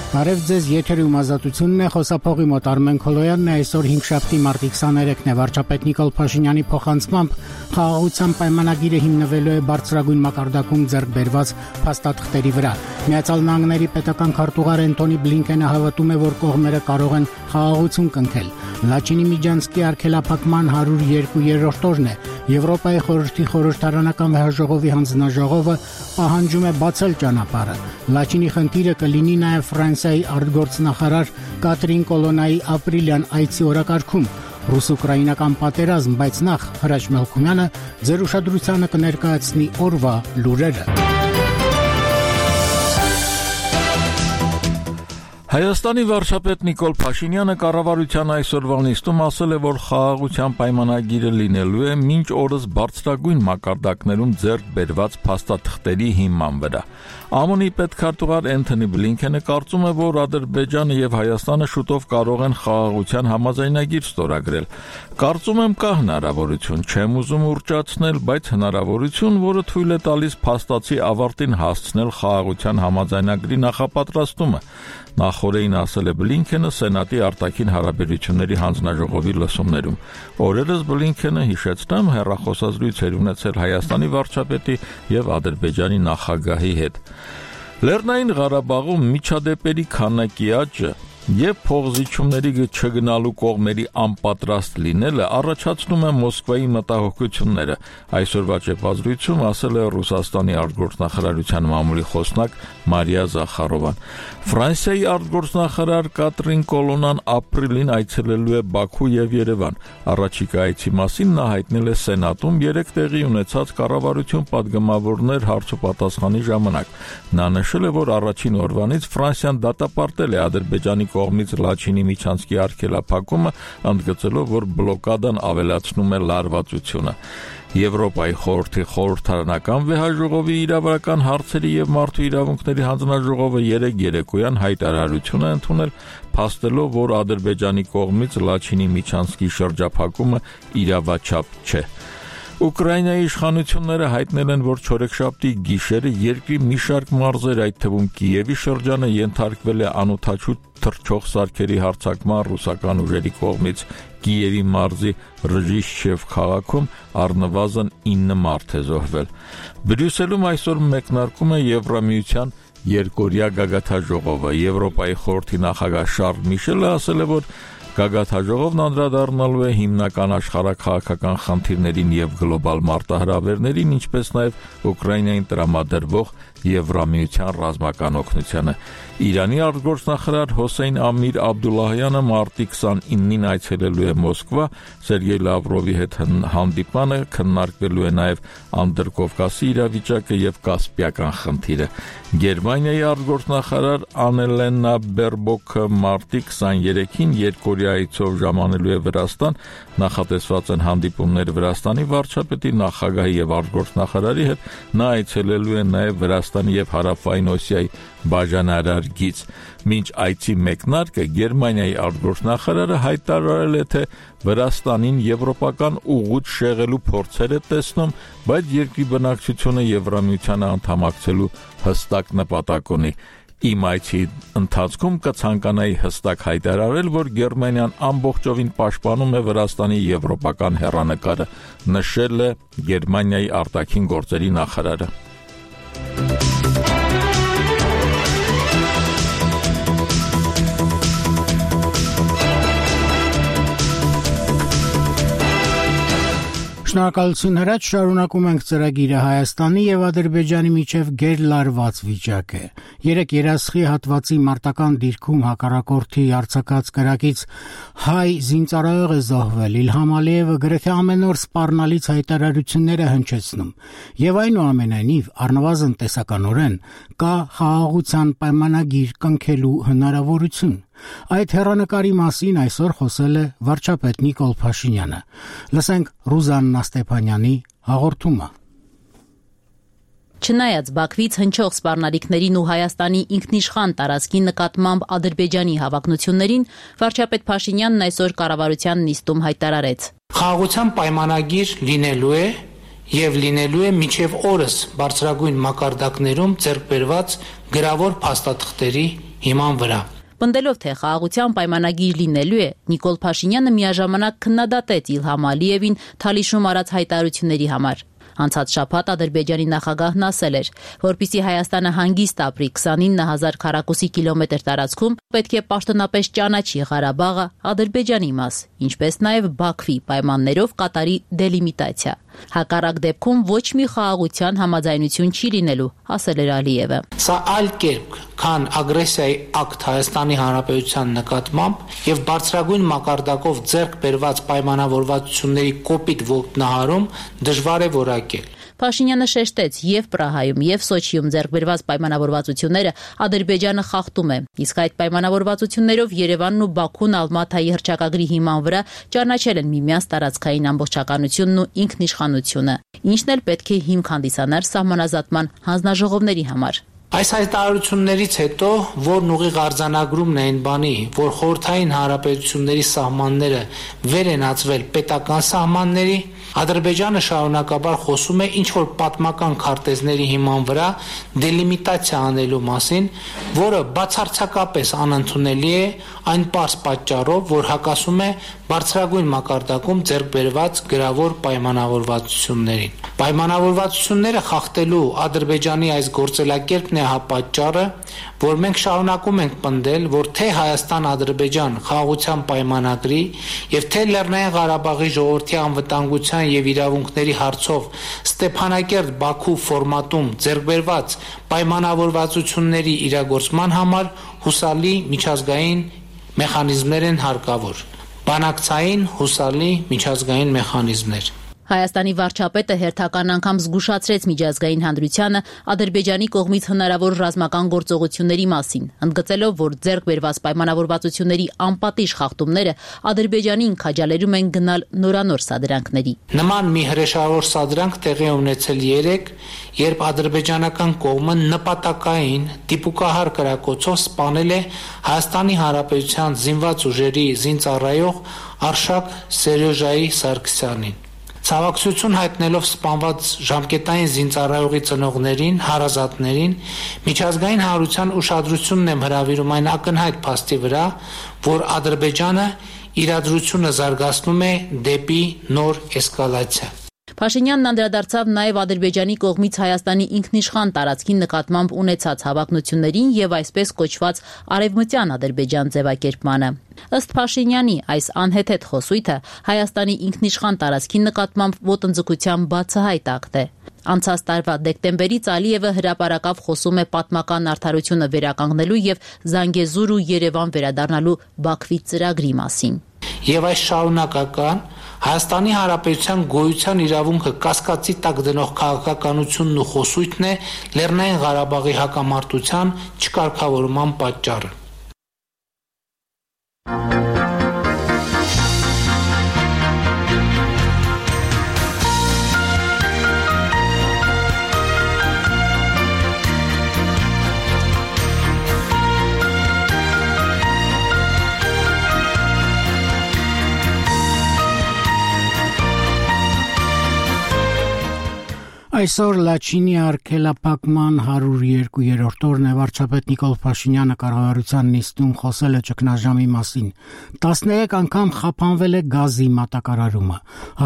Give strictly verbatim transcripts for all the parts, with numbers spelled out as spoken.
Բարև ձեզ, եթերում ազատությունն է, խոսափողի մոտ Արմեն Քոլոյանն է, այսօր հինգշաբթի մարտի քսաներեքն է, վարչապետ Նիկոլ Փաշինյանի փոխանցմամբ խաղաղության պայմանագիրը հիմնվելու է բարձրագույն մակարդակում ձեռք բերված փաստաթղթերի վրա։ Միացյալ Նահանգների պետական քարտուղար Անթոնի Բլինքենը հավատում է, որ կողմերը կարող են խաղաղություն կնքել։ Լաչինի Միջանցկի արգելափակման հարյուր երկու երրորդ օրն է։ Եվրոպայի խորհրդի խորհրդարանական վեհաժողովի հանձնաժողովը պահանջում է բացել ճանապարհը։ Լաչինի խնդիրը կլինի նաև Ֆրանսիայի արտգործնախարար Կատրին Կոլոնայի ապրիլյան այցի օրակարգում։ Ռուս-ուկրաինական պատերազմ, բայց նախ Հրաչ Մելքումյանը ձեր ուշադրությանը կներկայացնի օրվա լուրերը։ Հայաստանի վարչապետ Նիկոլ Փաշինյանը կառավարության այսօրվա նիստում ասել է, որ խաղաղության պայմանագիրը լինելու է մինչ օրս բարձրագույն մակարդակներում ձեռք բերված փաստաթղթերի հիման վրա։ ԱՄՆ-ի պետքարտուղար Անթոնի Բլինքենը կարծում է, որ Ադրբեջանը եւ Հայաստանը շուտով կարող են խաղաղության համաձայնագիր ստորագրել։ Կարծում եմ կա հնարավորություն, չեմ ուզում ուռճացնել, բայց հնարավորություն, որը թույլ է տալիս փաստացի ավարտին հասցնել խաղաղության համաձայնագրի նախապատրաստումը։ Նախորդին ասել է Բլինքենը Սենատի արտաքին հարաբերությունների հանձնաժողովի լսումներում։ Օրերս Բլինքենը, հիշեցնեմ, հեռախոսազրույց էր ունեցել Հայաստանի վարչապետի եւ Ադրբեջանի նախագահի հետ։ Լեռնային Ղարաբաղում միջադեպերի քանակի աճը եւ փողզիչումների չգնալու կողմերի անպատրաստ լինելը առաջացնում է Մոսկվայի մտահոգությունները։ Այսօրվա ճեպազրույցում ասել է Ռուսաստանի արտգործնախարարության մամուլի խոսնակ Մարիա Զախարովան։ Ֆրանսիայի արտգործնախարար Կատրին Կոլոնան ապրիլին այցելելու է Բաքու եւ Երևան։ Առաջիկա այցի մասին նա հայտնել է Սենատում երեք տեղի ունեցած կառավարություն պատգամավորներ հարցոպատասխանի ժամանակ։ Նա նշել է, որ առաջին օրվանից Ֆրանսիան դատապարտել է Ադրբեջանի կողմից Լաչինի Միջանցկի արգելափակումը, ընդգծելով, որ բլոկադան ավելացնում է լարվածությունը։ Եվրոպայի խորհրդի խորհրդարանական վեհաժողովի իրավական հարցերի եւ մարդու իրավունքների հանձնաժողովը երեկ երեկոյան հայտարարություն է ընդունել, փաստելով, որ Ադրբեջանի կողմից Լաչինի Միջանցկի շրջափակումը իրավաչափ չէ։ Ուկրաինայի իշխանությունները հայտնել են, որ չորեքշաբթի գիշերը երկրի մի շարք մարզեր, այդ թվում Կիևի շրջանը, ենթարկվել է անօդաչու թռչող սարքերի հարձակման ռուսական ուժերի կողմից։ Կիևի մարզի Ռժիշչև քաղաքում առնվազն ինը մարդ է զոհվել։ Բրյուսելում այսօր մեկնարկում է Եվրամիության երկօրյա գագաթաժողովը։ Եվրոպայի խորհրդի նախագահ Շարլ Միշելը ասել է, որ Գագաթաժողովն անդրադառնալու է հիմնական աշխարհաքաղաքական խնդիրներին եւ գլոբալ մարտահրավերներին, ինչպես նաեւ Ուկրաինային տրամադրվող Եվրամիության ռազմական օգնությանը։ Իրանի արտգործնախարար Հոսեյն Ամիր Աբդուլլահյանը մարտի քսանինին այցելելու է Մոսկվա, Սերգեյ Լավրովի հետ հանդիպանը քննարկվելու է նաեւ Անդրկովկասի իրավիճակը եւ Կասպիական խնդիրը։ Գերմանիայի արտգործնախարար Անելենա Բերբոկը մարտի քսաներեքին երկօրյա այցով ժամանելու է Վրաստան, նախատեսված են հանդիպումներ Վրաստանի վարչապետի, նախագահի եւ արտգործնախարարի հետ, նա այցելելու է նաեւ Վրաստանի եւ Հարավային Օսիայի բաժանարար գիծ։ Մինչ այցի մեկնարկը Գերմանիայի արտգործնախարարը հայտարարել է, թե Վրաստանին եվրոպական ուղուց շեղելու փորձեր է տեսնում, բայց երկրի բնակչությունը Եվրամիությանը անդամակցելու հստակ նպատակ ունի։ Իմ այցի ընթացքում կցանկանայի հստակ հայտարարել, որ Գերմանիան ամբողջովին պաշտպանում է Վրաստանի եվրոպական հեռանկարը, նշել է Գերմանիայի արտաքին գործերի նախարարը։ Շնորհակալություն Հրաչ, շարունակում ենք ծրագիրը։ Հայաստանի եւ Ադրբեջանի միջև գերլարված վիճակ է։ Երեք երասխի հատվածի մարտական դիրքում հակառակորդի արձակած կրակից հայ զինծառայող է զոհվել։ Իլհամ Ալիևը գրեթե ամեն օր սպառնալից հայտարարություններ է հնչեցնում։ Եվ այնուամենայնիվ, առնվազն տեսականորեն կա խաղաղության պայմանագիր կնքելու հնարավորություն։ Այդ հեռանկարի մասին այսօր խոսել է վարչապետ Նիկոլ Փաշինյանը։ Լսենք Ռուզաննա Ստեփանյանի հաղորդումը։ Չնայած Բաքվից հնչող սպառնալիքներին ու Հայաստանի ինքնիշխան տարածքի նկատմամբ Ադրբեջանի հավակնություններին, վարչապետ Փաշինյանն այսօր կառավարության նիստում հայտարարեց. Խաղաղության պայմանագիր լինելու է եւ լինելու է մինչեւ օրս բարձրագույն մակարդակներում ձեռք բերված գրավոր փաստաթղթերի հիման վրա։ Պնդելով, թե խաղաղության պայմանագիր լինելու է, Նիկոլ Փաշինյանը միաժամանակ քննադատեց Իլհամ Ալիևին Թալիշում արած հայտարարությունների համար։ Անցած շաբաթ Ադրբեջանի նախագահն ասել էր, որպեսզի Հայաստանը հանգիստ ապրի քսանինը հազար քառակուսի կիլոմետր տարածքում, պետք է պաշտոնապես ճանաչի Ղարաբաղը Ադրբեջանի մաս, ինչպես նաև Բաքվի պայմաններով կատարի դելիմիտացիա։ Հակառակ դեպքում ոչ մի խաղաղության համաձայնություն չի լինելու, ասել էր Ալիևը։ Սա այլ կերպ, քան ագրեսիայի ակտ Հայաստանի Հանրապետության նկատմամբ եւ բարձրագույն մակարդակով ձեռք բերված պայմանավորվածությունների կոպիտ ոտնահարում դժվար է որակել։ Փաշինյանը շեշտեց եւ Պրահայում եւ Սոչիում ձեռք բերված պայմանավորվածությունները Ադրբեջանը խախտում է, իսկ այդ պայմանավորվածություններով Երևանն ու Բաքուն Ալմաթայի հռչակագրի հիման վրա ճանաչել են միմյանց տարածքային ամբողջականությունն ու ինքնիշխանությունը, ինչն էլ պետք է հիմք հանդիսանար սահմանազատման հանձնաժողովների համար։ Այս հայտարարություններից հետո, որն ուղիղ արձանագրումն է այն բանի, որ խորհրդային հանրապետությունների սահմանները վեր են ածվել պետական սահմանների, Ադրբեջանը շարունակաբար խոսում է ինչ-որ պատմական քարտեզների հիման վրա դելիմիտացիա անելու մասին, որը բացարձակապես անընդունելի է այն պարզ պատճառով, որ հակասում է բարձրագույն մակարդակում ձեռք բերված գրավոր պայմանավորվածություններին։ Պայմանավորվածությունները խախտելու Ադրբեջանի այս գործելակերպն է հապատճառը, որ մենք շարունակում ենք պնդել, որ թե Հայաստան-Ադրբեջան խաղաղության պայմանագրի եւ թե Լեռնային Ղարաբաղի ժողովրդի անվտանգության եւ իրավունքների հարցով Ստեփանակերտ-Բաքու ֆորմատում ձեռքբերված պայմանավորվածությունների իրագործման համար հուսալի միջազգային մեխանիզմներ են հարկավոր։ Բանակցային հուսալի միջազգային մեխանիզմներ։ Հայաստանի վարչապետը հերթական անգամ զգուշացրեց միջազգային հանրությանը Ադրբեջանի կողմից հնարավոր ռազմական գործողությունների մասին, ընդգծելով, որ ձեռք բերված պայմանավորվածությունների անպատիժ խախտումները Ադրբեջանին քաջալերում են գնալ նորանոր սադրանքների։ Նման մի հրեշավոր սադրանք տեղի ունեցել երեկ, երբ ադրբեջանական կողմը նպատակային դիպուկահար կրակոցով սպանել է Հայաստանի Հանրապետության զինված ուժերի զինծառայող Արշակ Սերյոժայի Սարգսյանին։ Ցավակցություն հայտնելով սպանված ժամկետային զինծառայողի ծնողներին, հարազատներին, միջազգային հանրության ուշադրությունն եմ հրավիրում այն ակնհայտ փաստի վրա, որ Ադրբեջանը իրադրությունը զարգացնում է դեպի նոր էսկալացիա։ Փաշինյանն անդրադարձավ նաև Ադրբեջանի կողմից Հայաստանի ինքնիշխան տարածքի նկատմամբ ունեցած հավակնություններին եւ այսպես կոչված արևմտյան Ադրբեջան ձևակերպմանը։ Ըստ Փաշինյանի, այս անհեթեթ խոսույթը Հայաստանի ինքնիշխան տարածքի նկատմամբ ոտնձգության բացահայտ ակտ է։ Անցած տարվա դեկտեմբերից Ալիևը հրապարակավ խոսում է պատմական արդարությունը վերականգնելու եւ Զանգեզուր ու Երևան վերադառնալու Բաքվի ծրագրի մասին։ Եվ այս շարունակական Հայաստանի Հանրապետության գոյության իրավունքը կասկածի տակ դնող քաղաքականությունն ու խոսույթն է Լեռնային Ղարաբաղի հակամարտության չկարգավորման պատճառը։ Այսօր Լաչինի արգելափակման հարյուր երկու-րդ օրն է վարչապետ Նիկոլ Փաշինյանը կառավարության նիստում խոսել է ճգնաժամի մասին։ տասներեք անգամ խափանվել է գազի մատակարարումը։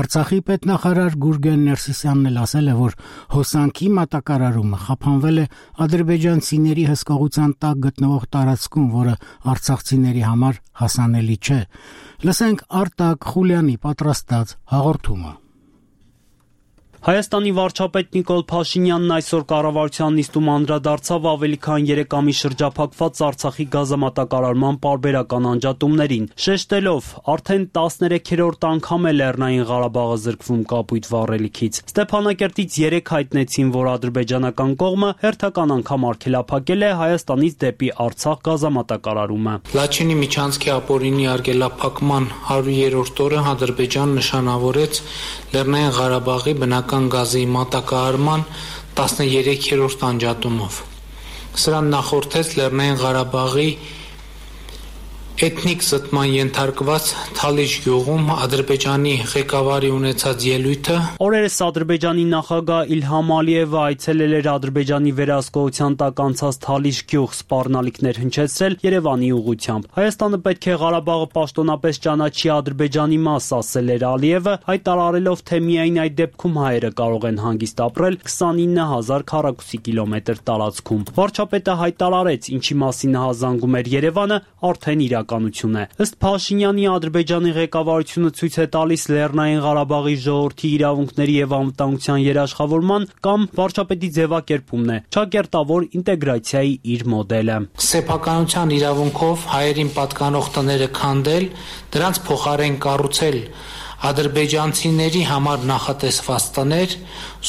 Արցախի պետնախարար Գուրգեն Ներսիսյանն էլ ասել է, որ հոսանքի մատակարարումը խափանվել է ադրբեջանցիների հսկողության տակ գտնվող տարածքում, որը արցախցիների համար հասանելի չէ։ Լսենք Արտակ Խուլյանի պատրաստած հաղորդումը։ Հայաստանի վարչապետ Նիկոլ Փաշինյանն այսօր կառավարության նիստում անդրադարձավ ավելի քան երեք ամիս շրջափակված Արցախի գազամատակարարման պարբերական անջատումներին, շեշտելով, արդեն տասներեքերորդ անգամ է Լեռնային Ղարաբաղը զրկվում կապույտ վառելիքից։ Ստեփանակերտից երեկ հայտնեցին, որ ադրբեջանական կողմը հերթական անգամ արգելափակել է Հայաստանից դեպի Արցախ գազամատակարարումը։ Լաչինի միջանցքի ապօրինի արգելափակման հարյուրերորդ օրը Ադրբեջանն նշանավորեց Լեռնային Ղարաբաղի բնական գազի մատակարարման տասներեքերորդ անջատումով։ Սրան նախորդեց Լեռնային Ղարաբաղի Էթնիկ զտման ենթարկված Թալիշ գյուղում Ադրբեջանի ղեկավարի ունեցած ելույթը Օրերս Ադրբեջանի նախագահ Իլհամ Ալիևը այցելել էր Ադրբեջանի վերահսկողության տակ անցած Թալիշ գյուղ սպառնալիքներ հնչեցրել Երևանի ուղղությամբ։ Հայաստանը պետք է Ղարաբաղը պաշտոնապես ճանաչի Ադրբեջանի մաս, ասել էր Ալիևը, հայտարարելով, թե միայն այդ դեպքում հայերը կարող են հանգիստ ապրել քսանինը հազար քառակուսի կիլոմետր տարածքում։ Վարչապետը հայտարարեց, ինչի մասին հազանգում էր Երևանը, արդեն իրականություն է։ Ըստ Փաշինյանի, Ադրբեջանի ղեկավարությունը ցույց է տալիս Լեռնային Ղարաբաղի ժողովրդի իրավունքների եւ անվտանգության երաշխավորման կամ վարչապետի ձևակերպումն է, ճակերտավոր ինտեգրացիայի իր մոդելը։ Սեփականության իրավունքով հայերին պատկանող տները քանդել, դրանց փոխարեն կառուցել ադրբեջանցիների համար նախատեսված տներ,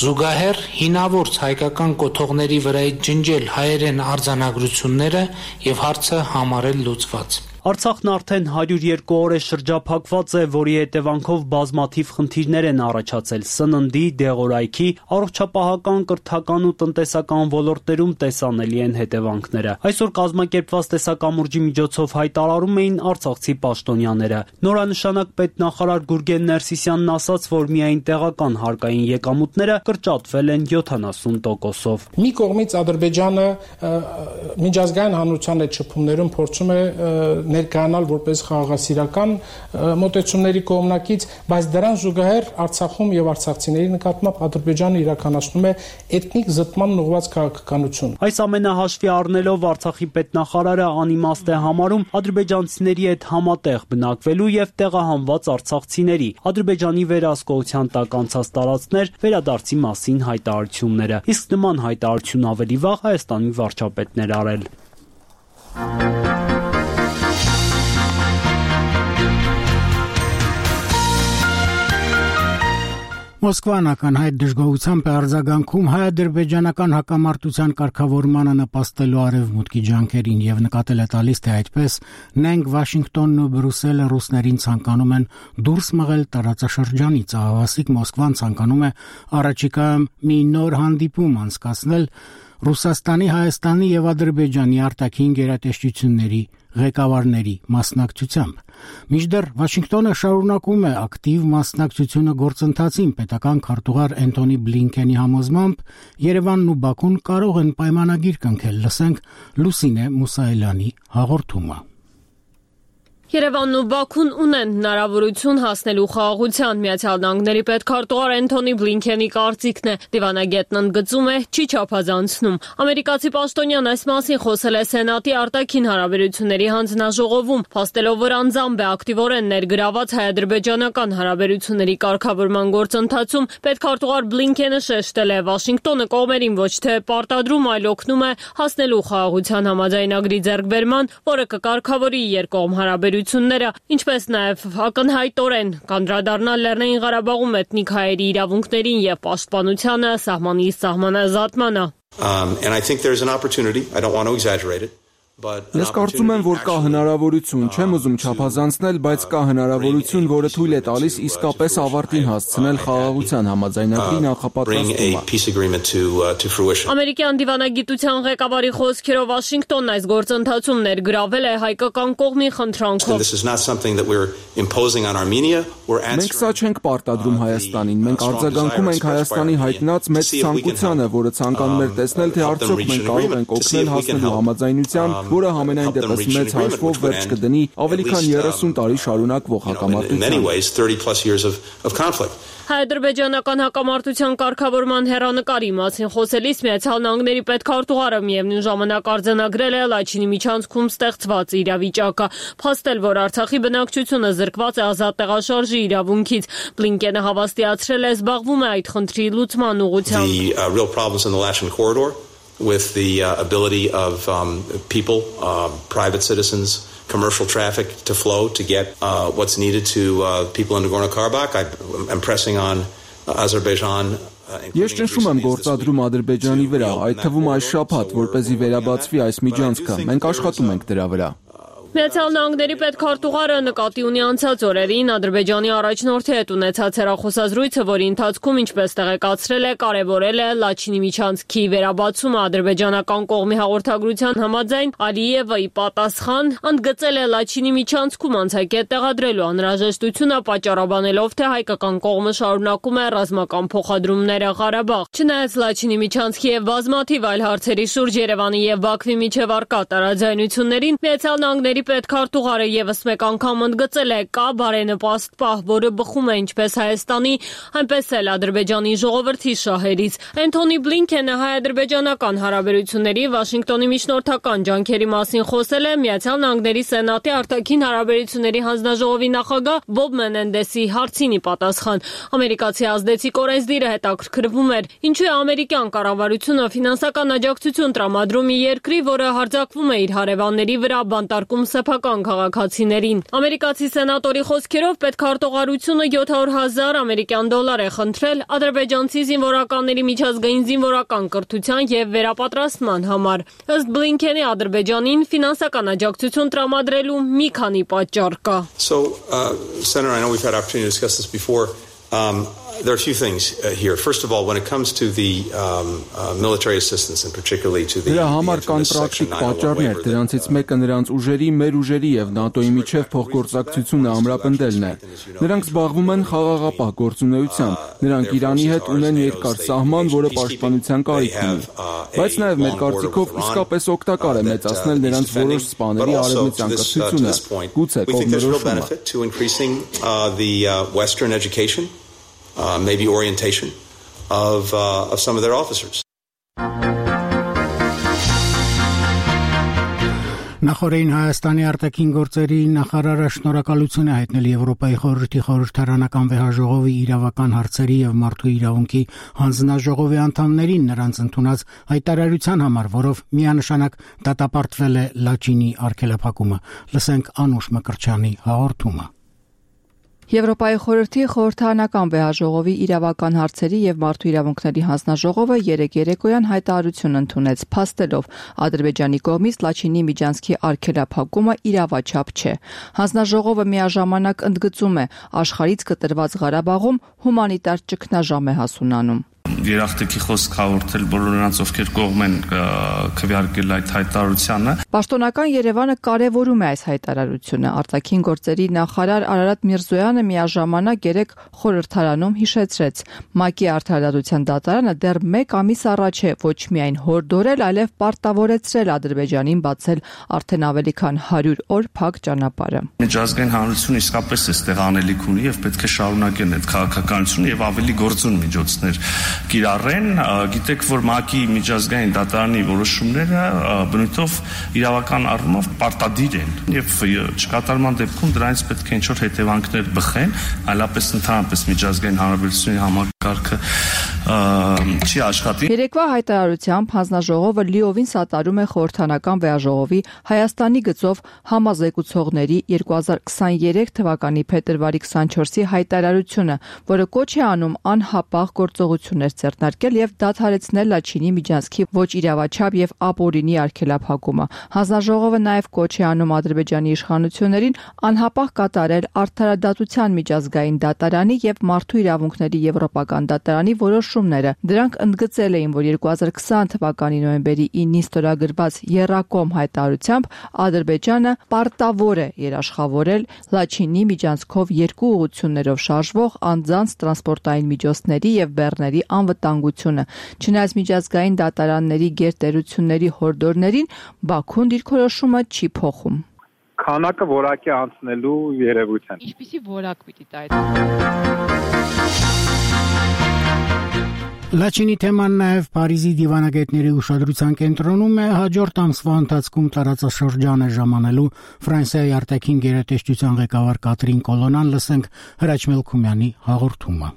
զուգահեռ հինավուրց հայկական կոթողների վրայից ջնջել հայերեն արձանագրությունները եւ հարցը համարել լուծված։ Արցախն արդեն հարյուր երկու օր է շրջափակված է, որի հետևանքով բազմաթիվ խնդիրներ են առաջացել սննդի, դեղորայքի, առողջապահական, կրթական ու տնտեսական ոլորտներում տեսանելի են հետևանքները։ Այսօր կազմակերպված տեսակամուրջի միջոցով հայտարարում էին արցախցի պաշտոնյաները։ Նորանշանակ պետնախարար Գուրգեն Ներսիսյանն ասաց, որ միայն տեղական հարկային եկամուտները կրճատվել են յոթանասուն տոկոսով։ Մի կողմից Ադրբեջանը միջազգային հանրության հետ շփումներում փորձում է ներկայանալ որպես խաղաղասիրական մոտեցումների կողմնակից, բայց դրան զուգահեռ Արցախում եւ արցախցիների նկատմամբ Ադրբեջանը իրականացնում է էթնիկ զտման ուղղված քաղաքականություն։ Այս ամենը հաշվի առնելով Արցախի պետնախարարը անիմաստ է համարում ադրբեջանցիների հետ համատեղ բնակվելու եւ տեղահանված արցախցիների Ադրբեջանի վերահսկողության տակ անցած տարածքներ վերադարձի մասին հայտարարությունները։ Իսկ նման հայտարարություն ավելի վաղ Հայաստանի վարչապետն էր արել։ Մոսկվան ականհայտ դժգոհությամբ է արձագանքում հայ-ադրբեջանական հակամարտության կարգավորմանը նպաստելու արևմուտքի ջանքերին եւ նկատել է տալիս, թե այդպես նենք Վաշինգտոնն ու Բրյուսելը ռուսներին ցանկանում են դուրս մղել տարածաշրջանից։ Ահավասիկ Մոսկվան ցանկանում է առաջիկայում մի նոր հանդիպում անցկացնել Ռուսաստանի, Հայաստանի եւ Ադրբեջանի արտաքին գերատեսչությունների ղեկավարների մասնակցությամբ։ Մինչդեռ Վաշինգտոնը շարունակում է ակտիվ մասնակցությունը գործընթացին պետական քարտուղար Էնթոնի Բլինքենի համոզմամբ Երևանն ու Բաքուն կարող են պայմանագիր կնքել, լսենք Լուսինե Մուսայելյանի հաղորդումը։ Երևանն ու Բաքուն ունեն հնարավորություն հասնելու խաղաղության։ Միացյալ Նահանգների պետքարտուղար Էնթոնի Բլինքենի կարծիքն է, դիվանագետն ընդգծում է, չի չափազանցնում։ Ամերիկացի պաշտոնյան այս մասին խոսել է Սենատի արտաքին հարաբերությունների հանձնաժողովում, փաստելով, որ անձամբ է ակտիվորեն ներգրաված հայ-ադրբեջանական հարաբերությունների կարգավորման գործընթացում, պետքարտուղար Բլինքենը շեշտել է, Վաշինգտոնը կողմերին ոչ թե պարտադրում, այլ օգնում է հասնելու խաղաղության համաձայնագրի ձեռքբերման, որը կկարգավորի երկկողմ հարաբերությունները, ինչպես նաև ակնհայտորեն կանդրադառնալ Լեռնային Ղարաբաղում էթնիկ հայերի իրավունքներին եւ պաշտպանությանը, սահմանի սահմանազատմանը։ Um, and I think there's an opportunity. I don't want to exaggerate it. Ես կարծում եմ, որ կա հնարավորություն, չեմ ուզում չափազանցնել, բայց կա հնարավորություն, որը թույլ է տալիս իսկապես ավարտին հասցնել խաղաղության համաձայնագրի նախապատրաստումը։ Ամերիկյան դիվանագիտության ղեկավարի խոսքերով Վաշինգտոնն այս գործընթացում ներգրավել է հայկական կողմի խնդրանքով։ Մենք սա չենք պարտադրում Հայաստանին, մենք արձագանքում ենք Հայաստանի հայտնած մեծ ցանկությանը, որը ցանկանում էր տեսնել, թե արդյոք մենք կարող ենք օգնել հասնելու համաձայնության, որը համենայն դեպս մեծ հաշվով վերջ կդնի ավելի քան երեսուն տարի շարունակվող հակամարտության։ Հայ-ադրբեջանական հակամարտության կարգավորման հեռանկարի մասին խոսելիս Միացյալ Նահանգների պետքարտուղարը միևնույն ժամանակ արձանագրել է Լաչինի միջանցքում ստեղծված իրավիճակը, փաստել, որ Արցախի բնակչությունը զրկված է ազատ տեղաշարժի իրավունքից։ Բլինկենը հավաստիացրել է, զբաղվում է այդ խնդրի լուծման ուղղությամբ։ With the uh, ability of um, people, uh, private citizens, commercial traffic to flow to get uh, what's needed to uh, people in Nagorno-Karabakh. I, I'm pressing on uh, Azerbaijan. Ես ճնշում եմ գործադրում Ադրբեջանի վրա, այդ թվում այս շաբաթ, որպեսզի վերաբացվի այս միջանցքը։ Մենք աշխատում ենք դրա վրա։ Միացյալ Նահանգների պետքարտուղարը նկատի ունի անցած օրերին Ադրբեջանի առաջնորդի հետ ունեցած հեռախոսազրույցը, որի ընթացքում, ինչպես տեղեկացրել է, կարևորել է Լաչինի միջանցքի վերաբացումը ադրբեջանական կողմի հաղորդագրության համաձայն Ալիևը ի պատասխան ընդգծել է Լաչինի միջանցքում անցակետ տեղադրելու անհրաժեշտությունը, պատճառաբանելով, թե հայկական կողմը շարունակում է ռազմական փոխադրումները Ղարաբաղ։ Չնայած Լաչինի միջանցքի եւ բազմաթիվ այլ հարցերի շուրջ Երևանի եւ Բաքվի միջև առկա տարաձայնություններին Միացյալ Նահանգների պետքարտուղարը եւս մեկ անգամ ընդգծել է, կա բարենպաստ պահ, որը բխում է ինչպես Հայաստանի, այնպես էլ Ադրբեջանի ժողովրդի շահերից։ Էնթոնի Բլինքենը հայ-ադրբեջանական հարաբերությունների Վաշինգտոնի միջնորդական ջանքերի մասին խոսել է Միացյալ Նահանգների Սենատի արտաքին հարաբերությունների հանձնաժողովի նախագահ Բոբ Մենենդեսի հարցին ի պատասխան։ Ամերիկացի ազդեցիկ օրենսդիրը հետաքրքրվում էր, ինչու է ամերիկյան կառավարությունը ֆինանսական աջակցություն տրամադրում մի երկրի, որը հարձակվում է իր հարևանների վրա, բանտարկում սեփական քաղաքացիներին։ Ամերիկացի սենատորի խոսքերով պետքարտուղարությունը յոթ հարյուր հազար ամերիկյան դոլար է խնդրել ադրբեջանցի զինվորականների միջազգային զինվորական կրթության եւ վերապատրաստման համար։ Ըստ Բլինքենի Ադրբեջանին ֆինանսական աջակցություն տրամադրելու մի քանի պատճառ կա։ So, uh, Senator, I know we've had opportunity to discuss this before. Um, There are a few things uh, here. First of all, when it comes to the um, uh, military assistance and particularly to the Դրա համար կան պրակտիկ պատճառներ, դրանցից մեկը նրանց ուժերի, մեր ուժերի եւ ՆԱՏՕ-ի միջև փոխգործակցությունը ամրապնդելն է։ Նրանք զբաղվում են խաղաղապահ գործունեությամբ, նրանք Իրանի հետ ունեն երկար սահման, որը պաշտպանության կարիք ունի։ Բայց նաեւ մեր կարծիքով իսկապես օգտակար է մեծացնել նրանց որոշ սպաների արևմտյան կրթությունը, գուցե կողմնորոշումը։ Uh, maybe orientation of, uh, of some of their officers. Նախորդին Հայաստանի արտաքին գործերի նախարարը շնորհակալություն է հայտնել Եվրոպայի խորհրդի խորհրդարանական վեհաժողովի իրավական հարցերի եւ մարդու իրավունքի հանձնաժողովի անդամներին նրանց ընդունած հայտարարության համար, որով միանշանակ դատապարտվել է Լաչինի արգելափակումը։ Լսենք Անուշ Մկրտչյանի հաղորդումը։ Եվրոպայի խորհրդի խորհրդարանական վեհաժողովի իրավական հարցերի եւ մարդու իրավունքների հանձնաժողովը երեկ երեկոյան հայտարարություն ընդունեց, փաստելով Ադրբեջանի կողմից Լաչինի միջանցքի արգելափակումը իրավաչափ չէ։ Հանձնաժողովը միաժամանակ ընդգծում է, աշխարհից կտրված Ղարաբաղում հումանիտար ճգնաժամ է հասունանում։ Երախտի խոսք հաղորդել բոլոր նրանց, ովքեր կողմ են քվեարկել այդ հայտարարությանը։ Պաշտոնական Երևանը կարևորում է այս հայտարարությունը։ Արտաքին գործերի նախարար Արարատ Միրզոյանը միաժամանակ երեկ խորհրդարանում հիշեցրեց, ՄԱԿ-ի արդարադատության դատարանը դեռ մեկ ամիս առաջ է ոչ միայն հորդորել, այլև պարտավորեցրել Ադրբեջանին բացել արդեն ավելի քան հարյուր օր փակ ճանապարհը։ Միջազգային հանրությունը իսկապես էստեղ անելիք ունի եւ պետք է շարունակեն այդ քաղաքականությունը եւ ավելի գործուն միջոցներ կիրառեն, գիտեք, որ ՄԱԿ-ի միջազգային դատարանի որոշումները բնույթով իրավական առումով պարտադիր են եւ չկատարման դեպքում դրանից պետք է ինչ-որ հետևանքներ բխեն, այլապես ընդհանրապես միջազգային հանրապետությունների համակարգը չի աշխատի։ Երեկվա հայտարարությամբ հանձնաժողովը լիովին սատարում է խորհրդարանական վեհաժողովի Հայաստանի գծով համազեկուցողների երկու հազար քսաներեք թվականի փետրվարի քսանչորսի հայտարարությունը, որը կոչ է անում անհապաղ գործողություններ ձեռնարկել եւ դադարեցնել Լաչինի միջանցքի ոչ իրավաչափ եւ ապօրինի արգելափակումը։ Հանձնաժողովը նաեւ կոչ է անում Ադրբեջանի իշխանություններին անհապաղ կատարել արդարադատության միջազգային դատարանի եւ մարդու իրավունքների եվրոպական դատարանի որոշումները։ Դրանք ընդգծել էին, որ երկու հազար քսան թվականի նոյեմբերի ինին ստորագրված Եռակոմ հայտարարությամբ Ադրբեջանը պարտավոր է երաշխավորել Լաչինի միջանցքով երկու ուղղություններով շարժվող անձանց տրանսպորտային միջոցների եւ բեռների անվտանգությունը։ Չնայած միջազգային դատարանների գերտերությունների հորդորներին, Բաքուն դիրքորոշումը չի փոխում։ Քանակը որակի անցնելու երևույթ են։ Ինչպիսի որակ պիտի տա այդ։ Լաչինի թեման նաև Փարիզի դիվանագետների ուշադրության կենտրոնում է հաջորդ ամսվա ընթացքում տարածաշրջան է ժամանելու Ֆրանսիայի արտաքին գերատեսչության ղեկավար Կատրին Կոլոնան, լսենք Հրաչ Մելքումյանի հաղորդումը։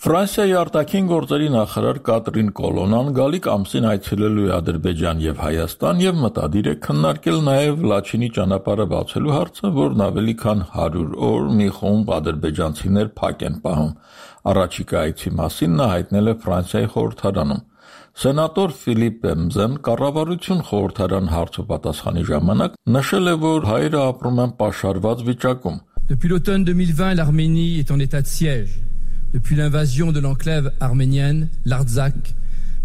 Ֆրանսիայի արտաքին գործերի նախարար Կատրին Կոլոնան գալիք ամսին այցելելու է Ադրբեջան եւ Հայաստան եւ մտադիր է քննարկել նաեւ Լաչինի ճանապարհը բացելու հարցը, որն ավելի քան հարյուր օր մի խումբ ադրբեջանցիներ փակ են պահում։ Առաջիկա այցի մասին նա հայտնել է Ֆրանսիայի խորհրդարանում։ Սենատոր Ֆիլիպ Բեմզեն կառավարություն խորհրդարան հարցոպատասխանի ժամանակ նշել է, որ հայերը ապրում են պաշարված վիճակում։ Depuis l'automne deux mille vingt, l'Arménie est en état de siège. Depuis l'invasion de l'enclave arménienne, l'Artsakh,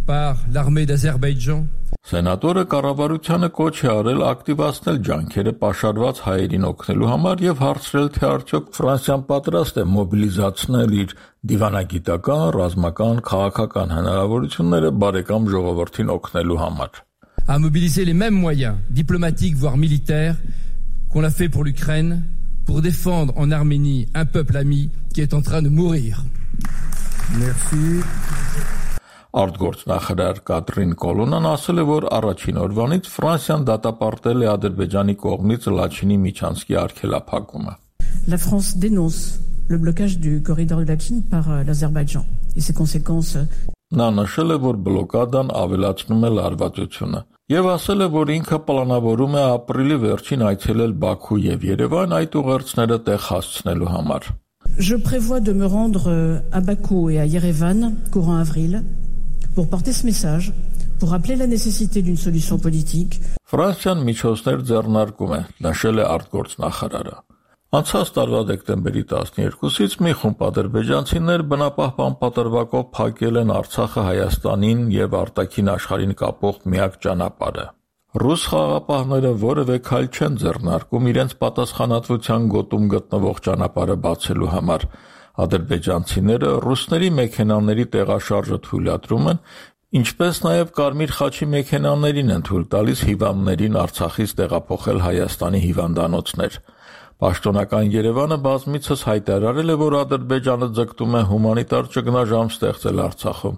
par l'armée d'Azerbaïdjan. Սենատորը կառավարությանը կոչ է արել ակտիվացնել ջանքերը պաշարված հայերին օգնելու համար եւ հարցրել, թե արդյոք Ֆրանսիան պատրաստ է մոբիլիզացնել իր դիվանագիտական, ռազմական, քաղաքական հնարավորությունները բարեկամ ժողովրդին օգնելու համար։ À mobiliser les mêmes moyens diplomatiques voire militaires qu'on a fait pour l'Ukraine pour défendre en Arménie un peuple ami qui est en train de mourir. Merci. Արտգործնախարար Կատրին Կոլոնան ասել է, որ առաջին օրվանից Ֆրանսիան դատապարտել է Ադրբեջանի կողմից Լաչինի միջանցքի արգելափակումը։ La France dénonce le blocage du corridor de Lachin par l'Azerbaïdjan et ses conséquences. Նա նշել է, որ բլոկադան ավելացնում է լարվածությունը եւ ասել է, որ ինքը պլանավորում է ապրիլի վերջին այցելել Բաքու եւ Երևան այդ ուղերձները տեղ հասցնելու համար։ Je prévois de me rendre à Bakou et à Yerevan courant avril pour porter ce message, pour rappeler la nécessité d'une solution politique. Ֆրանսիան միջոցներ ձեռնարկում է, նշել է արտգործնախարարը։ Անցած տարվա դեկտեմբերի տասներկուսից մի խումբ ադրբեջանցիներ բնապահպան պատրվակով փակել են Արցախը Հայաստանին եւ արտաքին աշխարհին կապող միակ ճանապարհը։ Ռուս խաղապահները որևէ քայլ չեն ձեռնարկում իրենց պատասխանատվության գոտում գտնվող ճանապարհը բացելու համար։ Ադրբեջանցիները ռուսների մեքենաների տեղաշարժը թույլատրում են, ինչպես նաև Կարմիր խաչի մեքենաներին են թույլ տալիս հիվանդներին Արցախից տեղափոխել Հայաստանի հիվանդանոցներ։ Պաշտոնական Երևանը բազմիցս հայտարարել է, որ Ադրբեջանը ձգտում է հումանիտար ճգնաժամ ստեղծել Արցախում։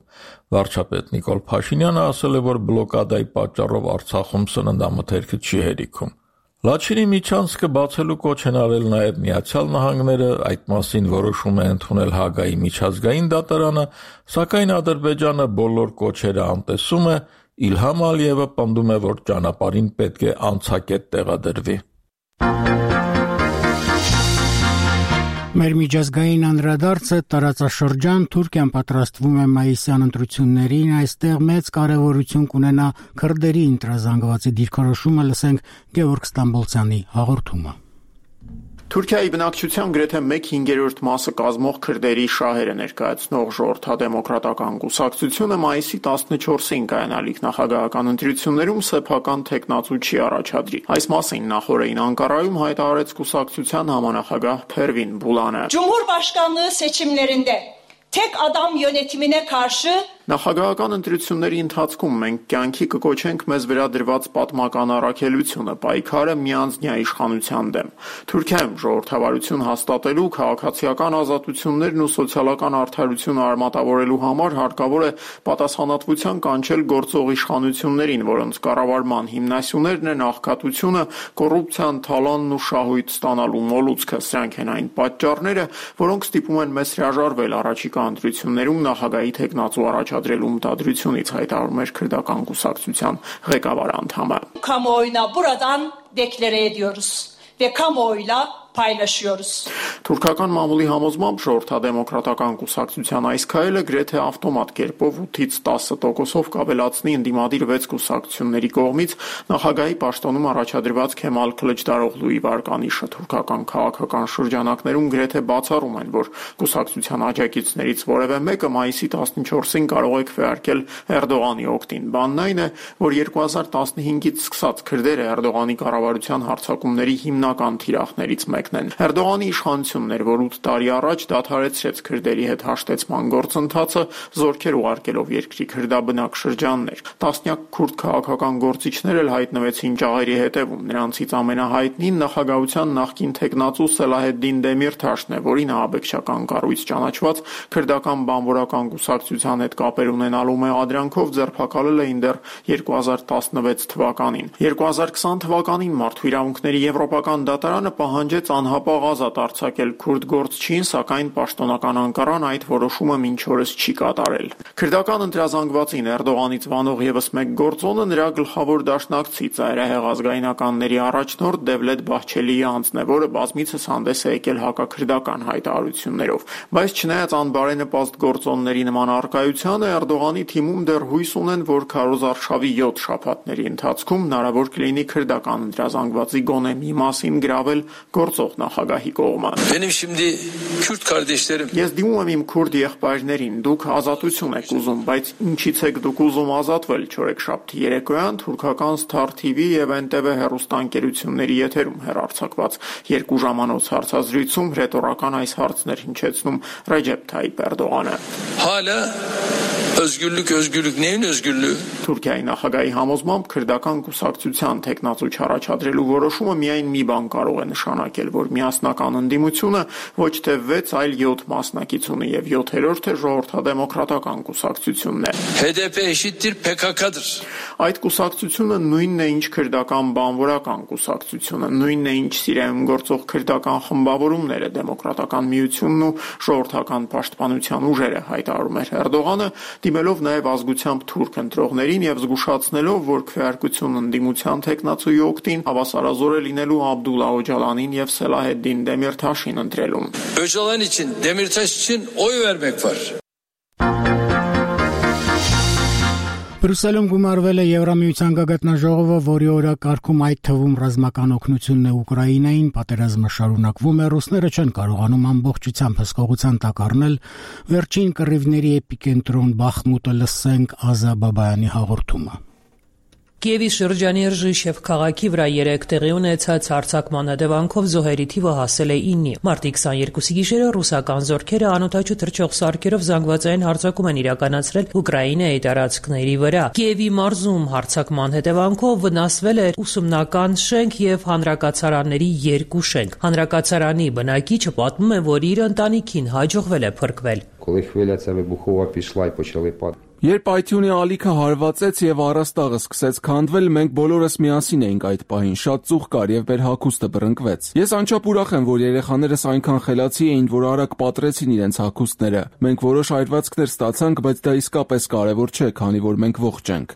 Վարչապետ Նիկոլ Փաշինյանը ասել է, որ բլոկադայի պատճառով Արցախում սննդամթերքը չի հերիքում։ Լաչինի միջանցքը բացելու կոչ են արել նաև Միացյալ Նահանգները, այդ մասին որոշում է ընդունել Հագայի միջազգային դատարանը, սակայն Ադրբեջանը բոլոր կոչերը անտեսում է, Իլհամ Ալիևը պնդում է, որ ճանապարհին պետք է անցակետ տեղադրվի։ Մեր միջազգային անդրադարձը տարածաշրջան Թուրքիան պատրաստվում է մայիսյան ընտրություններին, այստեղ մեծ կարևորություն կունենա քրդերի ընտրազանգվածի դիրքորոշումը, լսենք Գևորգ Ստամբոլցյանի հաղորդումը։ Թուրքիայի բնակչության գրեթե մեկ հինգերորդ մասը կազմող քրդերի շահերը ներկայացնող ժողովրդադեմոկրատական կուսակցությունը մայիսի տասնչորսին կայանալիք նախագահական ընտրություններում սեփական թեկնածու չի առաջադրի։ Այս մասին նախորդին Անկարայում հայտարարեց կուսակցության համանախագահ Փերվին Բուլանը։ Cumhurbaşkanlığı seçimlerinde tek adam yönetimine karşı Նախագահական ընտրությունների ընթացքում մենք կյանքի կկոչենք մեզ վերադրված պատմական առաքելությունը, պայքարը միանձնյա իշխանության դեմ։ Թուրքիայում ժողովրդավարություն հաստատելու, քաղաքացիական ազատություններն ու սոցիալական արդարությունը արմատավորելու համար հարկավոր է պատասխանատվության կանչել գործող իշխանություններին, որոնց կառավարման հիմնասյուներն են աղքատությունը, կոռուպցիան, թալանն ու շահույթ ստանալու մոլուցքը։ Սրանք են այն պատճառները, որոնք ստիպում են մեզ հրաժարվել առաջիկա ընտրություններում նախագահի թեկնածու առաջ Adrelum tadrությունից հայտարարում էր քրդական կուսակցության ղեկավար անդամը։ Kamuoyuna buradan deklare ediyoruz ve kamuoyuyla paylaşıyoruz. Թուրքական մամուլի համոզմամբ ժողովրդադեմոկրատական կուսակցության այս քայլը գրեթե ավտոմատ կերպով ութից տասը տոկոսով կավելացնի ընդդիմադիր վեց կուսակցությունների կողմից նախագահի պաշտոնում առաջադրված Քեմալ Քլիչդարօղլուի վարկանիշը։ Թուրքական քաղաքական շրջանակներում գրեթե բացառում են, որ կուսակցության աջակիցներից որևէ մեկը մայիսի տասնչորսին կարող է քվեարկել Էրդողանի օգտին։ Բանն այն է, որ երկու հազար տասնհինգից սկսած քրդերը Էրդողանի կառավարության հարձակումների հիմնական թիրախներից մեկն են։ Էրդողանի իշխանությունն էր, որ ութ տարի առաջ դադարեցրեց քրդերի հետ հաշտեցման գործընթացը, զորքեր ուղարկելով երկրի քրդաբնակ շրջաններ։ Տասնյակ քուրդ քաղաքական գործիչներ էլ հայտնվեցին ճաղերի հետևում։ Նրանցից ամենահայտնին նախագահության նախկին թեկնածու Սելահեդդին Դեմիրթաշն է, որին ահաբեկչական կառույց ճանաչված քրդական բանվորական կուսակցության հետ կապեր ունենալու մեղադրանքով ձերբակալել էին դեռ երկու հազար տասնվեց թվականին։ երկու հազար քսան թվականին Մարդու իրավունքների եվրոպական դատարանը պահանջեց անհապաղ ազատ արձակել կոչել քուրդ գործչին, սակայն պաշտոնական Անկարան այդ որոշումը մինչ օրս չի կատարել։ Քրդական ընտրազանգվածին Էրդողանից վանող եւս մեկ գործոնը նրա գլխավոր դաշնակցի ծայրահեղ ազգայնականների առաջնորդ Դևլետ Բահչելիի անձն է, որը բազմիցս հանդես է եկել հակաքրդական հայտարարություններով։ Բայց չնայած անբարենպաստ գործոնների նման առկայությանը, Էրդողանի թիմում դեռ հույս ունեն, որ քարոզարշավի յոթ շաբաթների ընթացքում հնարավոր կլինի քրդական ընտրազանգվածի գոնե մի մասին գրավել գործող նախագահի կողմը։ Ես դիմում եմ իմ քուրդ եղբայրներին, դուք ազատություն եք ուզում, բայց ինչից եք դուք ուզում ազատվել չորեքշաբթի երեկոյան թուրքական Star T V եւ N T V հեռուստաընկերությունների եթերում հեռարձակված երկու ժամանոց հարցազրույցում ռետորական այս հարցն էր հնչեցնում Ռեջեփ Թայիփ Էրդողանը։ Հալը Özgürlük, özgürlük, neyin özgürlüğü? Թուրքիայի նախագահի համոզմամբ քրդական կուսակցության տեխնացու չառաջադրելու որոշումը միայն մի բան կարող է նշանակել, որ միասնական ընդդիմությունը ոչ թե վեց, այլ յոթ մասնակից ունի եւ յոթերորդը ժողովրդադեմոկրատական կուսակցությունն է։ H D P eşittir P K K'dır։ Այդ կուսակցությունը նույնն է, ինչ քրդական բանվորական կուսակցությունը, նույնն է, ինչ Սիրիայում գործող քրդական խմբավորումները, դեմոկրատական միությունն ու ժողովրդական պաշտպանության ուժերը, հայտարարում էր Էրդողանը, դիմելով նաև ազգությամբ թուրք ընտրողներին եւ զգուշացնելով, որ քվեարկություն ընդդիմության տեխնացուի օգտին հավասարազոր է լինելու Աբդուլլա Օջալանին եւ Սելահեդդին Դեմիրթաշին ընտրելուն։ Օջալան için, Demirtaş için oy vermek var։ Բրուսելում գումարվել է Եվրամիության գագաթնաժողովը, որի օրակարգում այդ թվում ռազմական օգնությունն է Ուկրաինային, պատերազմը շարունակվում է, ռուսները չեն կարողանում ամբողջությամբ հսկողության տակ առնել վերջին կռիվների էպիկենտրոն Բախմուտը, լսենք Ազա Բաբայանի հաղորդումը։ Կիևի շրջանի Ռժիշև քաղաքի վրա երեք տեղի ունեցած հարձակման հետևանքով զոհերի թիվը հասել է իննի։ Մարտի քսաներկուսի գիշերը ռուսական զորքերը անօդաչու թռչող սարքերով զանգվածային հարձակում են իրականացրել Ուկրաինայի տարածքների վրա։ Կիևի մարզում հարձակման հետևանքով վնասվել է ուսումնական շենք եւ հանրակացարանների երկու շենք։ Հանրակացարանի բնակիչը պատմում է, որ իր ընտանիքին հաջողվել է փրկվել։ Երբ Այթյունի ալիքը հարվածեց եւ առաստաղը սկսեց քանդվել, մենք բոլորս միասին էինք այդ պահին, շատ ծուխ կար եւ մեր հագուստը բռնկվեց։ Ես անչափ ուրախ եմ, որ երեխաներս այնքան խելացի էին, որ արագ պատրեցին իրենց հագուստները։ Մենք որոշ այրվածքներ ստացանք, բայց դա իսկապես կարեւոր չէ, քանի որ մենք ողջ ենք։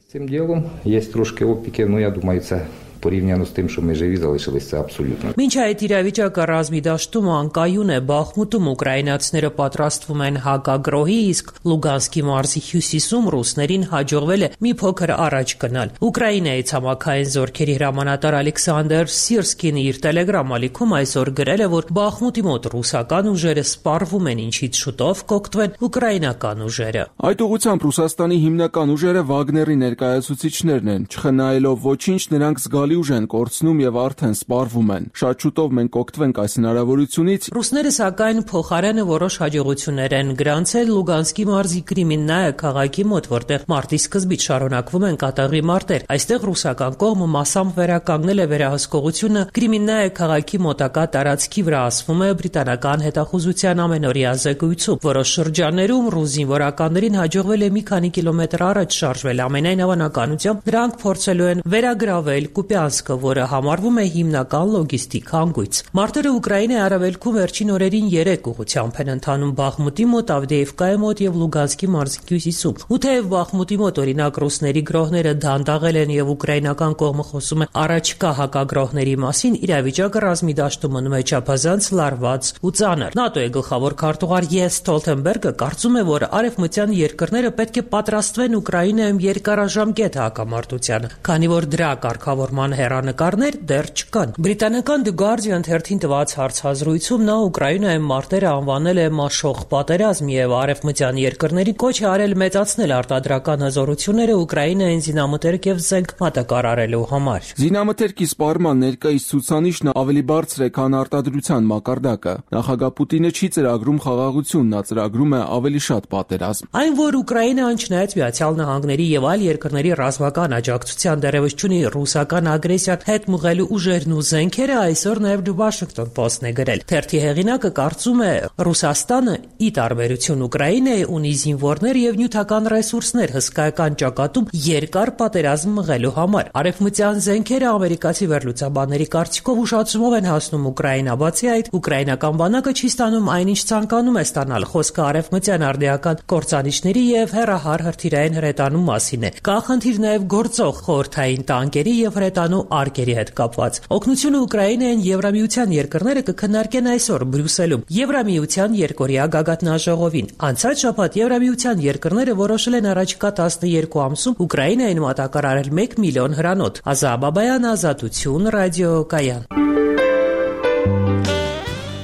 порівняно з тим, що ми живі залишились, це абсолютно. Մինչ այդ իրավիճակը ռազմի դաշտում անկայուն է, Բախմուտում ուկրաինացիները պատրաստվում են հակագրոհի, իսկ Լուգանսկի մարզի հյուսիսում ռուսներին հաջողվել է մի փոքր առաջ գնալ։ Ուկրաինայի ցամաքային զորքերի հրամանատար Ալեքսանդր Սիրսկին իր Telegram ալիքում այսօր գրել է, որ Բախմուտի մոտ ռուսական ուժերը սպառվում են, ինչից շուտով կօգտվեն ուկրաինական ուժերը։ Այդ ուղղությամբ Ռուսաստանի հիմնական ուժերը Վագների ներկայացուցիչներն են, չխնայելով ոչինչ, նրանք զգալի ուժ են կորցնում եւ արդեն սպառվում են։ Շատ շուտով մենք կօգտվենք այս հնարավորությունից։ Ռուսները սակայն փոխարենը որոշ հաջողություններ են գրանցել Լուգանսկի մարզի Կրիմիննայա քաղաքի մոտ, որտեղ մարտի սկզբից շարունակվում են կատաղի մարտեր։ Այստեղ ռուսական կողմը մասամբ վերականգնել է վերահսկողությունը Կրիմիննայա քաղաքի մոտակա տարածքի վրա, ասվում է բրիտանական հետախուզության ամենօրյա զեկույցում։ Որոշ շրջաններում ռուս զինվորականներին հաջողվել է մի քանի կիլոմետր առաջ շարժվել։ Ամենայն հավանականությամբ նրանք փորձելու են վերագրավել Կուպյանսկը, որը համարվում է հիմնական լոգիստիկ հանգույց։ Մարտերը Ուկրաինայի արևելքում վերջին օրերին երեք ուղղությամբ են ընթանում Բախմուտի մոտ, Ավդեևկայի մոտ եւ Լուգանսկի մարզի հյուսիսում։ Ու թեև Բախմուտի մոտ օրինակ ռուսների գրոհները դանդաղել են եւ ուկրաինական կողմը խոսում է առաջկա հակագրոհների մասին, իրավիճակը ռազմի դաշտում մնում է չափազանց լարված ու ծանր։ ՆԱՏՕ-ի գլխավոր քարտուղար Յենս Ստոլթենբերգը կարծում է, որ արևմտյան երկրները պետք է պատրաստվեն Ուկրաինայում երկարաժամկետ հակամարտությանը, քանի որ դրա կարգավորման հեռանկարներ դեռ չկան։ Բրիտանական The Guardian թերթին տված հարցազրույցում նա Ուկրաինայում մարտերը անվանել է մաշող պատերազմ եւ արևմտյան երկրների կոչ է արել մեծացնել արտադրական հզորությունները Ուկրաինային զինամթերք եւ զենք մատակարարելու համար։ Զինամթերքի սպառման ներկայիս ցուցանիշն ավելի բարձր է, քան արտադրության մակարդակը։ Նախագահ Պուտինը չի ծրագրում խաղաղություն, նա ծրագրում է ավելի շատ պատերազմ։ Այն, որ Ուկրաինան չնայած Միացյալ Նահանգների եւ այլ երկրների ռազմական աջակցության դեռևս չունի ռուսական ագրեսիան հետ մղելու ուժերն ու զենքերը, այսօր նաև The Washington Post-ն է գրել։ Թերթի հեղինակը կարծում է, Ռուսաստանը, ի տարբերություն Ուկրաինայի, ունի զինվորներ եւ նյութական ռեսուրսներ հսկայական ճակատում երկար պատերազմ մղելու համար։ Արևմտյան զենքերը ամերիկացի վերլուծաբանների կարծիքով ուշացումով են հասնում Ուկրաինա, բացի այդ, ուկրաինական բանակը չի ստանում այնինչ ցանկանում է ստանալ։ Խոսքը արևմտյան արդիական կործանիչների եւ հեռահար հրթիռային հրետանու մասին է։ Կա խնդիր նաև գործող խորհրդային տանկերի եւ հրետանու արկերի հետ կապված։ Օգնությունը Ուկրաինային Եվրամիության երկրները կքննարկեն այսօր Բրյուսելում Եվրամիության երկօրյա գագաթնաժողովին։ Անցած շաբաթ Եվրամիության երկրները որոշել են առաջիկա տասներկու ամսում Ուկրաինային մատակարարել մեկ միլիոն հրանոթ։ Ազա Բաբայան, Ազատություն, ռադիոկայան։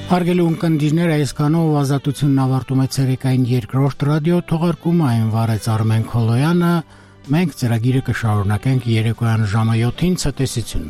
Հարգելի ունկնդիրներ, այսքանով Ազատությունն ավարտում է ցերեկային երկրորդ ռադիո թողարկումը, այն վարեց Արմեն Քոլոյանը։ Մենք ծրագիրը կշարունակենք երեկոյան ժամը յոթին ցտեսություն։